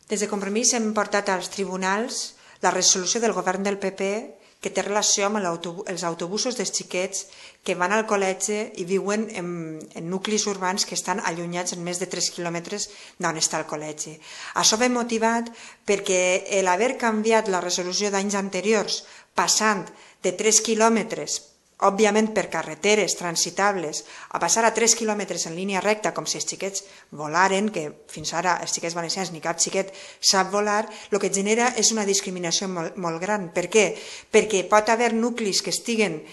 Des de Compromís hem portat als tribunals la resolució del govern del PP que té relació amb els autobusos dels xiquets que van al col·legi i viuen en nuclis urbans que estan allunyats en més de 3 quilòmetres d'on està el col·legi. Això ve motivat perquè l'haver canviat la resolució d'anys anteriors passant de 3 quilòmetres òbviament per carreteres transitables, a passar a 3 quilòmetres en línia recta com si els xiquets volaren, que fins ara els xiquets valencians ni cap xiquet sap volar, el que genera és una discriminació molt gran. Per què? Perquè pot haver nuclis que estiguen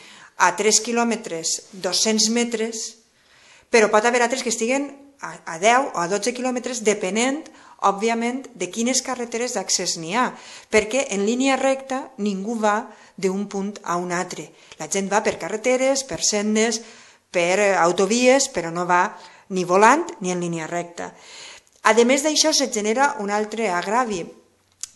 a 3 quilòmetres, 200 metres, però pot haver altres que estiguen a 10 o a 12 quilòmetres, depenent, òbviament, de quines carreteres d'accés n'hi ha, perquè en línia recta ningú va d'un punt a un altre. La gent va per carreteres, per sendes, per autovies, però no va ni volant ni en línia recta. A més d'això, se genera un altre aggravi,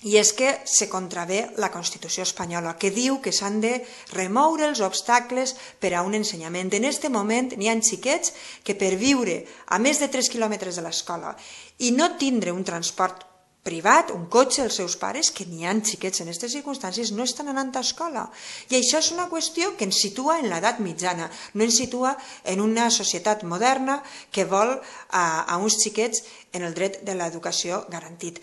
i és que se contravé la Constitució espanyola, que diu que s'han de remoure els obstacles per a un ensenyament. En aquest moment n'hi ha xiquets que per viure a més de 3 quilòmetres de l'escola i no tindre un transport privat, un cotxe, els seus pares, que n'hi ha xiquets en aquestes circumstàncies, no estan anant a escola. I això és una qüestió que ens situa en l'edat mitjana, no ens situa en una societat moderna que vol a uns xiquets en el dret de l'educació garantit.